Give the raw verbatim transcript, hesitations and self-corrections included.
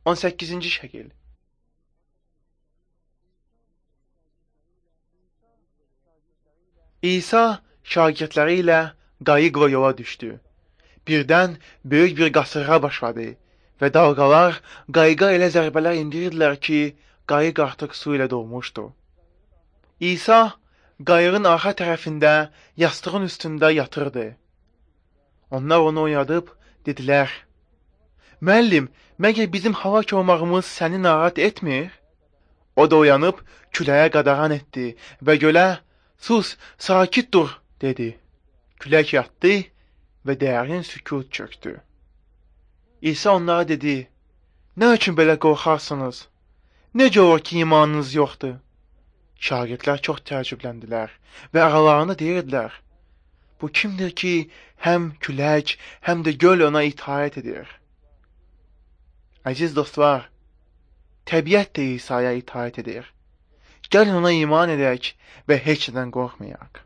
on səkkizinci şəkil. İsa şagirdləri ilə qayıq və yola düşdü. Birdən böyük bir qasırğa başladı və dalğalar qayıqa elə zərbələr indirirdilər ki, qayıq artıq su ilə dolmuşdu. İsa qayığın arxa tərəfində yastığın üstündə yatırdı. Onlar onu oyadıb dedilər: "Müəllim, məgər bizim həlak olmağımız səni narahat etmir?" O da oyanıb küləyə qadağan etdi və gölə: "Sus, sakit dur," dedi. Külək yatdı və dərin sükut çökdü. İsa onlara dedi: "Nə üçün belə qorxarsınız? Necə olur ki, imanınız yoxdur?" Şagirdlər çox təəccübləndilər və aralarında deyirdilər: "Bu kimdir ki, həm külək, həm də göl ona itaət edir?" Əziz dostlar, təbiət də İsa'ya itaət edir. Gəlin ona iman edək və heç nədən qorxmayaq.